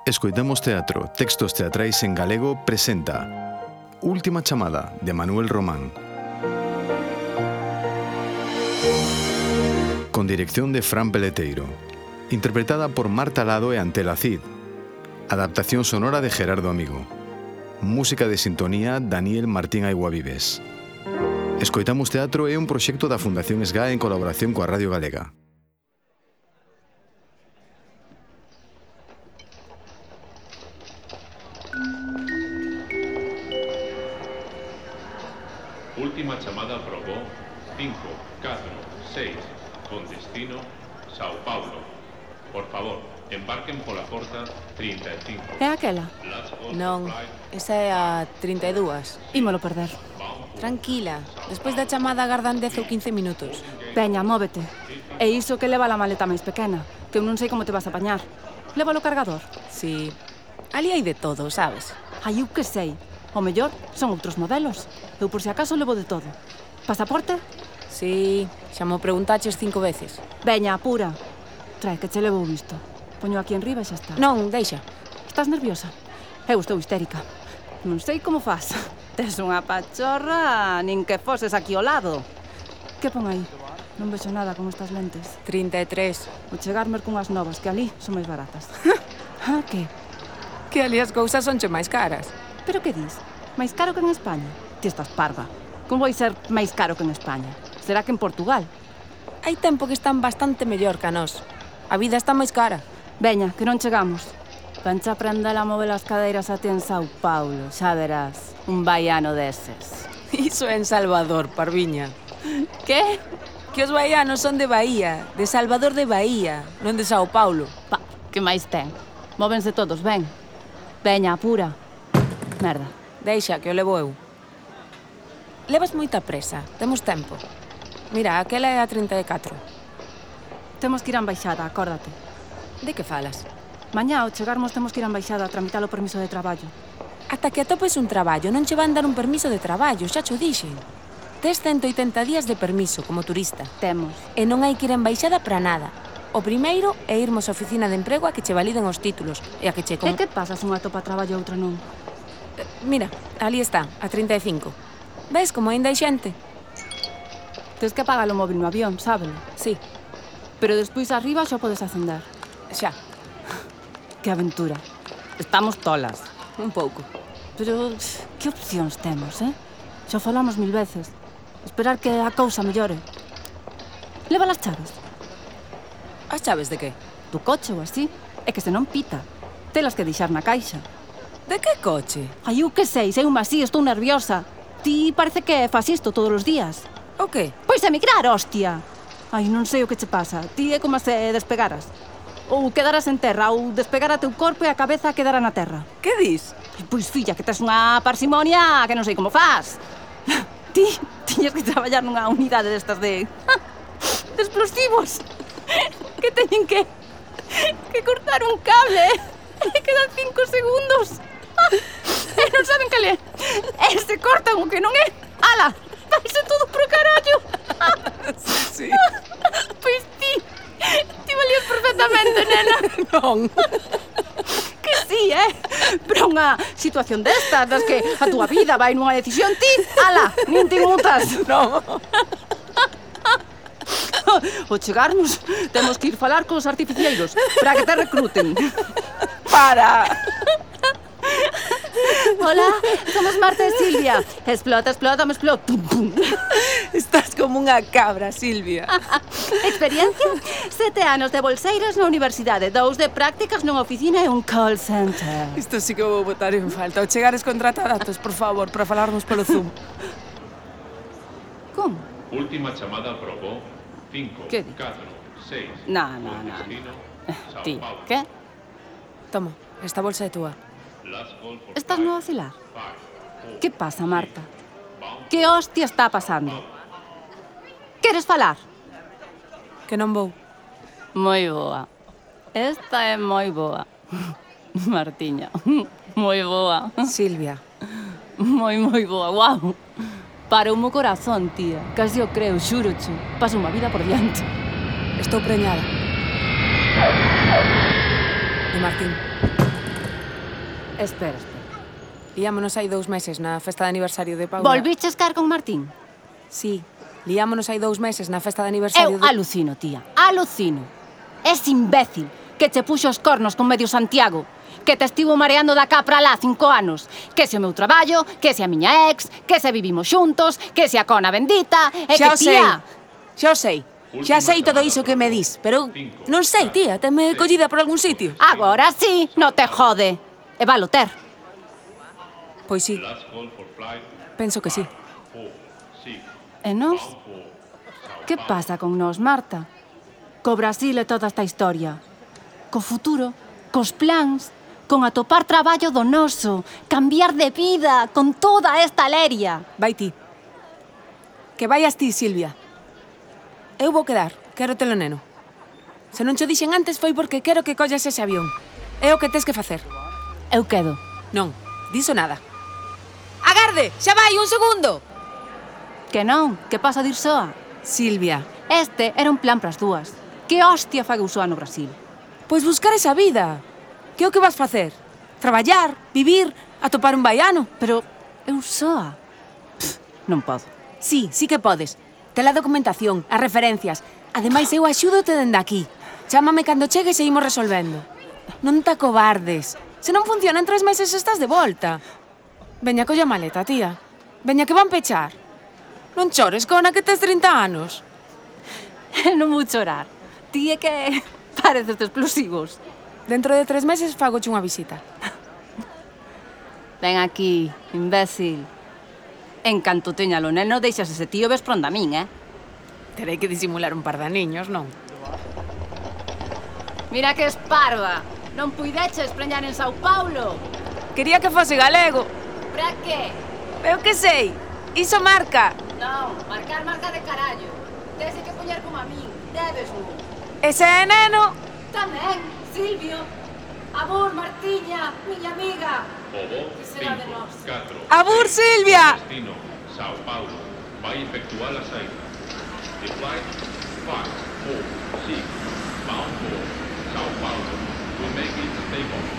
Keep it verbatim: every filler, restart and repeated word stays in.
Escoitamos Teatro, textos teatrais en galego presenta Última chamada, de Manuel Román. Con dirección de Fran Peleteiro. Interpretada por Marta Lado e Antela Cid. Adaptación sonora de Gerardo Amigo. Música de sintonía Daniel Martín Aiguavives. Escoitamos Teatro é un proxecto da Fundación S G A en colaboración coa Radio Galega. Última chamada aprobó cinco, catro, seis, con destino Sao Paulo. Por favor, embarquen pola porta trinta e cinco. É aquela? Non, esa é a trinta e dúas. Ímolo perder. Tranquila, despois da chamada agardan dez ou quince minutos. Veña, móvete. E iso que leva a maleta máis pequena, que eu non sei como te vas a apañar. Lévalo o cargador. Si, ali hai de todo, sabes? Ai, eu que sei. O mellor son outros modelos. Eu por si acaso levo de todo. Pasaporte? Si, xa mo preguntaches cinco veces. Veña, apura. Trae, que che levo visto. Poño aquí enriba e xa está. Non, deixa. Estás nerviosa? Eu estou histérica. Non sei como faz. Tes unha pachorra, nin que foses aquí ao lado. Que pon aí? Non vexo nada con estas lentes. trinta e tres. Vou chegarme cunhas novas, que ali son máis baratas. Ah, que? Que ali as cousas sonche máis caras. Pero que dis? Máis caro que en España? Ti estás parva. Como vai ser máis caro que en España? Será que en Portugal? Hai tempo que están bastante mellor que a nós. A vida está máis cara. Veña, que non chegamos. Vanche aprender a mover as cadeiras a ti en Sao Paulo, xa verás. Un baiano deses. Iso é en Salvador, parviña. Que? Que os baianos son de Bahía, de Salvador de Bahía, non de Sao Paulo. Pa, que máis ten? Móvense todos, ven. Veña, apura. Merda. Deixa, que o levo eu. Levas moita presa, temos tempo. Mira, aquela é a trinta e catro. Temos que ir á embaixada, acórdate. De que falas? Mañá, ao chegarmos, temos que ir á embaixada a tramitar o permiso de traballo. Ata que atopes un traballo, non che van dar un permiso de traballo, xa cho dixen. Tes ciento oitenta días de permiso como turista. Temos. E non hai que ir á embaixada para nada. O primeiro é irmos á oficina de emprego a que che validen os títulos e a que che... Con... E que pasa se unha atopa traballo e outra non? Mira, ali está, a trinta e cinco. Ves como ainda hai xente? Tens que apagar o móvil no avión, sábelo? Sí. Pero despois arriba xa podes acender. Xa. Que aventura. Estamos tolas. Un pouco. Pero que opcións temos, eh? Xa falamos mil veces. Esperar que a cousa mellore. Leva as chaves. As chaves de que? Do coche ou así. É que se non pita. Telas que deixar na caixa. De que coche? Ai, eu que sei, sei un así, estou nerviosa. Ti parece que faz isto todos os días. O que? Pois emigrar, hostia. Ai, non sei o que che pasa. Ti é como se despegaras. Ou quedaras en terra, ou despegar a teu corpo e a cabeza quedara na terra. Que dis? Ai, pois, filla, que tes unha parsimonia que non sei como faz. Ti tiñes que traballar nunha unidade destas de... de explosivos. Que teñen que... que cortar un cable. E quedan cinco segundos. E non saben que le... E se cortan o que non é... Ala, vaise todo pro carallo. Sí. Pois ti... Ti valías perfectamente, nena. Non. Que sí, eh? Pero unha situación destas, das que a túa vida vai nunha decisión, ti... Ala, nin te mutas. Non. Ao chegarmos, temos que ir falar cos artificieiros para que te recruten. Para. Hola, somos Marta e Silvia. Explota, explota, me explota. Pum, pum. Estás como unha cabra, Silvia. Experiencia? Sete anos de bolseiras na universidade, dous de prácticas nunha oficina e un call center. Isto sí que vou botar en falta. Ao chegares contrata datos, por favor, para falarnos polo Zoom. Como? Última chamada aprobó cinco, ¿Qué di? catro, seis, No, no, con no, destino Sao Ti, Paulo. que? Toma, esta bolsa é túa. Last call for Estás five, no vacilar? five, four, Que pasa, Marta? bound. Que hostia está pasando? Queres falar? Que non vou. Moi boa. Esta é moi boa. Martiña, moi boa. Silvia. Moi, moi boa, guau. Paroume o corazón, tía. Casi o creo, xúrocho. Paso unha vida por diante. Estou preñada. De Martín. Espera, espera. Liámonos hai dous meses na festa de aniversario de Paula. Volviches caer con Martín? Sí, liámonos hai dous meses na festa de Eu aniversario de... alucino, tía, alucino. Es imbécil que che puxo os cornos con medio Santiago, que te estivo mareando da cá pra lá cinco anos, que se o meu traballo, que se a miña ex, que se vivimos xuntos, que se a cona bendita, e Xa que o sei, tía... xa o sei. Xa sei todo iso que me dis, pero non sei, tía, teme collida por algún sitio. Agora sí, no te jode. E valo ter. Pois sí, Last call for flight penso que sí. four six. E nós? Bound for Sao Que Paulo. pasa con nós, Marta? Co Brasil e toda esta historia. Co futuro, cos plans, con atopar traballo do noso, cambiar de vida, con toda esta leria. Vai ti. Que vayas ti, Silvia. Eu vou quedar, quero telo neno. Se non cho dixen antes foi porque quero que collas ese avión. É o que tes que facer. Eu quedo. Non, diso nada. Agarde, xa vai, un segundo. Que non, que pasa de ir soa? Silvia, Este era un plan pras dúas. Que hostia fague soa no Brasil? pois buscar esa vida. Que é o que vas facer? Traballar, vivir, atopar un baiano. Pero eu soa? Pff, non podo. Sí, sí que podes. Te la documentación, as referencias. Ademais, eu axúdote dende aquí. Chámame cando chegues e imos resolvendo. Non te acobardes. Se non funciona en tres meses estás de volta. Veña, colla a maleta, tía. Veña, que van pechar. Non chores, cona, que tes trinta anos. Non vou chorar. Ti é que pareces de explosivos. Dentro de tres meses fagoche unha visita. Ven aquí, imbécil. En canto teña lo neno, deixas ese tío ves pronda a min, eh? Terei que disimular un par de niños, non? Mira que esparva. Non puideches preñar en Sao Paulo. Quería que fose galego. Pra que? Eu que sei. Iso marca. Non, marcar marca de carallo. Tens que poñer como a min. Debes un. Ese é neno. Tamén, Silvio. Amor, Martiña, miña amiga. Obo Que será de cinco nós? catro. Abur, Silvia. Destino Sao Paulo. Vai efectuar a saída. The flight five four six. Bound for Sao Paulo. We make it take off.